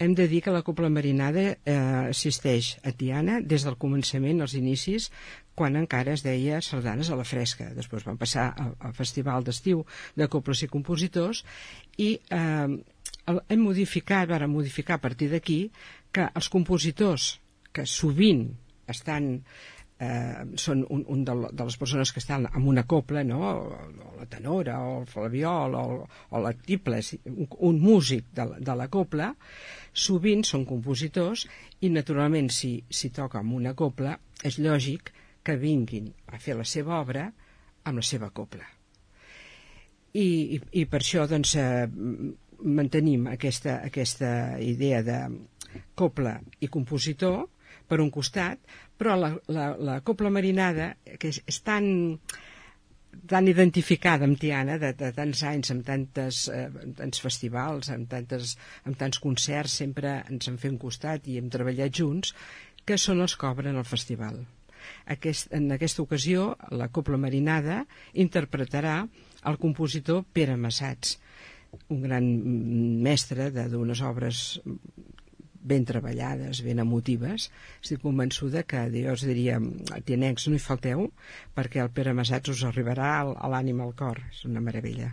hem de dir que la Cobla Marinada existeix a Tiana des del començament, als inicis, quan encara es deia sardanes a la fresca. Després van passar al Festival d'Estiu de Cobles i Compositors i varen modificar a partir d'aquí que els compositors que sovint són un de les persones que estan en una cobla, no? O la tenora, o el flabiol, o la tiple, un músic de la cobla, sovint són compositors i naturalment si toca amb una cobla és lògic que vinguin a fer la seva obra amb la seva cobla. I per això doncs mantenim aquesta idea de cobla i compositor per un costat, però la Cobla Marinada, que és tan identificada amb Tiana de tants anys, amb tants festivals, amb tants concerts, sempre ens han fet un costat i hem treballat junts, que són els que obren el festival. En aquesta ocasió, la Cobla Marinada interpretarà el compositor Pere Massats, un gran mestre d'unes obres ben treballades, ben emotives. Estic convençuda que jo us diria, tianencs, no hi falteu, perquè el Pere Massats us arribarà a l'ànima, al cor. És una meravella.